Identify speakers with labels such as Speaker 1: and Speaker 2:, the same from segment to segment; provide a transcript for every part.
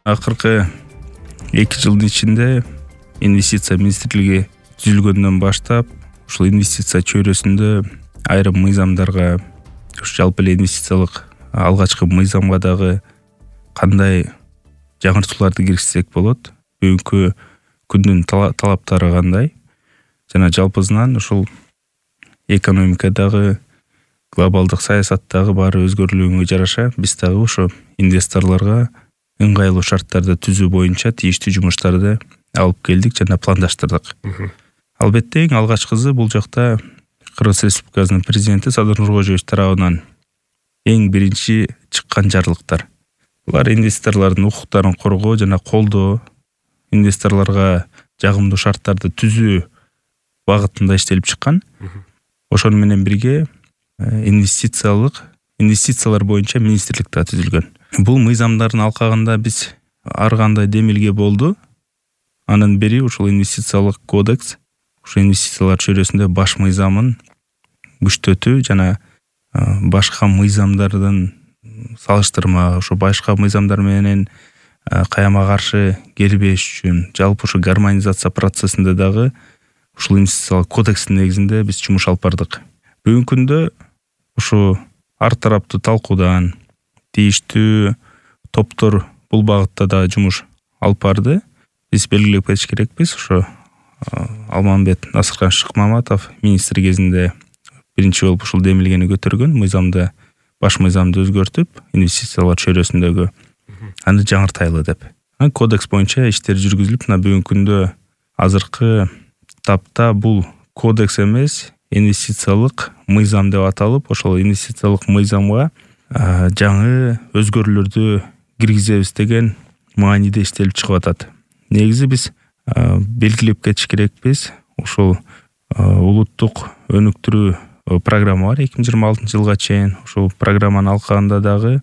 Speaker 1: Акыркы 2 жылдын ичинде инвестиция министрлиги түзүлгөндөн баштап ушул инвестиция чөйрөсүндө айрым мыйзамдарга, жалпы эле инвестициялык алгачкы мыйзамга дагы кандай жаңыртууларды киргизсек болот, бүгүнкү күндүн талаптары кандай жана жалпысынан ушул экономикадагы, глобалдык саясаттагы баары өзгөрүлгөнгө жараша биз дагы ошо инвесторлорго ыңгайлуу шарттарды түзүү боюнча тийиштүү жумуштарды алып келдик жана пландаштырдык. Албетте эң алгачкысы бул жакта Кыргыз Республикасынын президенти Садыр Нуркожоевич тарабынан эң биринчи чыккан жарлыктар. Булар инвесторлордун укуктарын коргоо жана колдоо, инвесторлорго жагымдуу шарттарды түзүү багытында иштелип чыккан. Ошону менен бирге инвестициялар боюнча министрлик да түзүлгөн. Бул мыйзамдардын алкагында биз ар кандай демилге болду. Анын бири ушул инвестициялык кодекс, ушул инвестициялар чөйрөсүндө баш мыйзамын күчтөтүү жана башка мыйзамдардын салыштырма, ошо башка мыйзамдар менен каяма каршы келбеш үчүн жалпы ушу гармонизация процессинде дагы ушул инвестициялык кодекстин негизинде биз жумуш алып бардык. Бүгүнкү күндө ушу ар тараптуу талкуудан тийиштүү топтор бул багытта да жумуш алып барды. Биз белгилеп кетиш керекпиз, ошо Алмамбет Насыркан Шыкмаматов министр кезинде биринчи болуп ушул демилгени көтөргөн, мыйзамды, баш мыйзамды өзгөртүп, инвестициялар чөйрөсүндөгү аны жаңыртайлы деп. Кодекс боюнча иштер жүргүзүлүп, бүгүнкү күндө азыркы тапта бул кодекс эмес, инвестициялык мыйзам деп аталып, ошол инвестициялык мыйзамга жаңы өзгөрүүлөрдү киргизебиз деген мааниде иштелип чыгып атат. Негизи биз белгилеп кетиш керекпиз, ушул улуттук өнүктүрүү программа бар 2026 жылга чейин. Ушул программанын алкагында дагы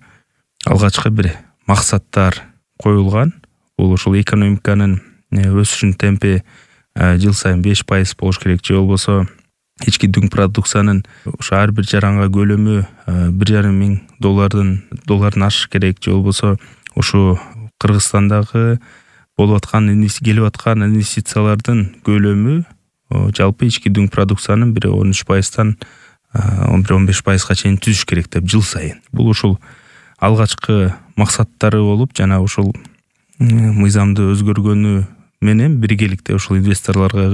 Speaker 1: алгачкы бир максаттар коюлган. Бул ушул экономиканын өсүшүнүн темпи жыл сайын 5% болуш керек, же болбосо ички дүң продукциянын ушу ар бир жаранга көлөмү $1,500 ашыш керек, же болбосо ушу Кыргызстандагы болуп аткан келип аткан инвестициялардын көлөмү жалпы ички дүң продукциянын 13%-тан 15%-га чейин түзүш керек деп жыл сайын. Бул ушул алгачкы максаттары болуп, жана ушул мыйзамды өзгөргөнү менен биргеликте ушул инвесторлорго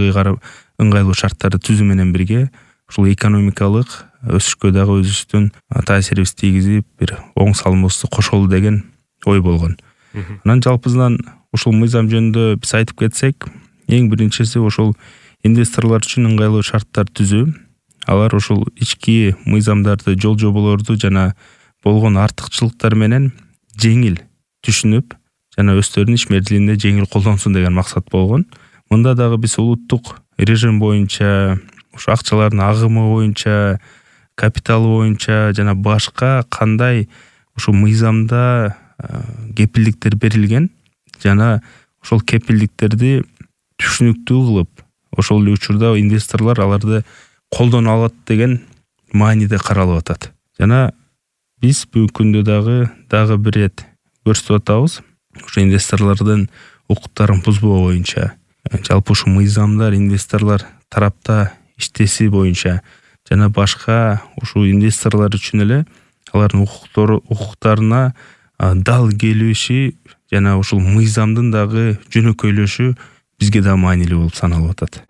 Speaker 1: ыңгайлуу шарттарды түзүү менен бирге ушул экономикалык өсүшкө дагы өзүбүздүн таасирибизди тийгизип, бир оң салымыбызды кошолу деген ой болгон. Анан жалпысынан ушул мыйзам жөнүндө биз айтып кетсек, эң биринчиси ушул инвесторлор үчүн ыңгайлуу шарттар түзүү. Алар ушул ички мыйзамдарды, жол жоболорду жана болгон артыкчылыктар менен жеңил түшүнүп, жана өздөрүнүн иш мезгилинде жеңил колдонсун деген максат болгон. Мында дагы биз улуттук режим боюнча, ушу акчалардын агымы боюнча, капиталы боюнча жана башка кандай ушу мыйзамда кепилдиктер берилген жана ошол кепилдиктерди түшүнүктүү кылып, ошол эле учурда инвесторлор аларды колдоно алат деген мааниде каралып атат. Жана биз бүгүнкү күндө дагы бир рет көрсөтүп атабыз, ушу инвесторлордун укуктарын бузбоо боюнча, жалпы ушу мыйзамдар инвесторлор тарапта иштеси боюнча жана башка ушу инвесторлор үчүн эле алардын укуктарына дал келиши жана ушул мыйзамдын дагы жөнөкөйлөшү бизге да маанилүү болуп саналып атат.